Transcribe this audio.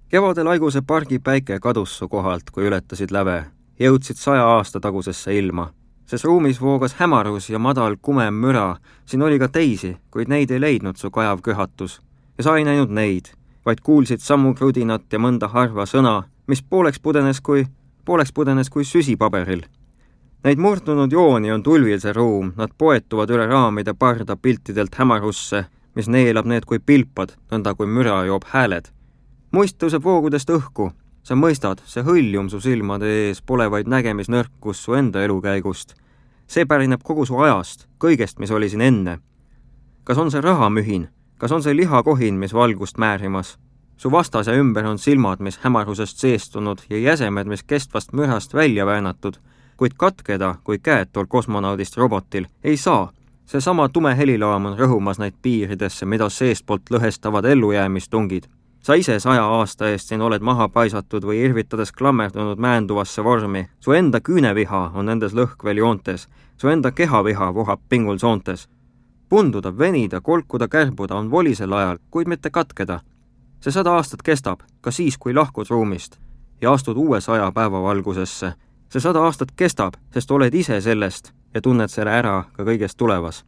Kevadel Aiguse pargi päike kadus su kohalt, kui ületasid läve. Jõudsid 100 aasta tagusesse ilma. Ses ruumis voogas hämarus ja madal kumem müra. Siin oli ka teisi, kuid neid ei leidnud su kajav köhatus. Ja sa ei näinud neid, vaid kuulsid sammu krudinat ja mõnda harva sõna, mis pooleks pudenes kui süsi paberil. Neid murdunud jooni on tulvil see ruum, nad poetuvad üle raamide parda piltidelt hämarusse, mis neelab need kui pilpad, nõnda kui müra joob hääled. Muist tõuseb voogudest õhku. Sa mõistad, see hõljum su silmade ees pole vaid nägemisnõrkus su enda elukäigust. See pärineb kogu su ajast, kõigest, mis oli siin enne. Kas on see rahamühin? Kas on see lihakohin, mis valgust määrimas? Su vastase ümber on silmad, mis hämarusest seestunud ja jäsemed, mis kestvast mürast välja väänatud, kuid katkeda, kui käed tol kosmonaudist robotil, ei saa. See sama tume helilaam on rõhumas neid piiridesse, mida seestpoolt lõhestavad ellujäämistungid. Sa ise 100 aasta eest siin oled maha paisatud või irvitades klammerdunud määnduvasse vormi. Su enda küüneviha on nendes lõhkvel joontes. Su enda kehaviha vohab pingul soontes. Punduda, venida, kolkuda, kärbuda on volisel ajal, kuid mitte katkeda. See 100 aastat kestab, ka siis, kui lahkud ruumist ja astud uue 100 päevavalgusesse. See 100 aastat kestab, sest oled ise sellest ja tunned selle ära ka kõigest tulevas.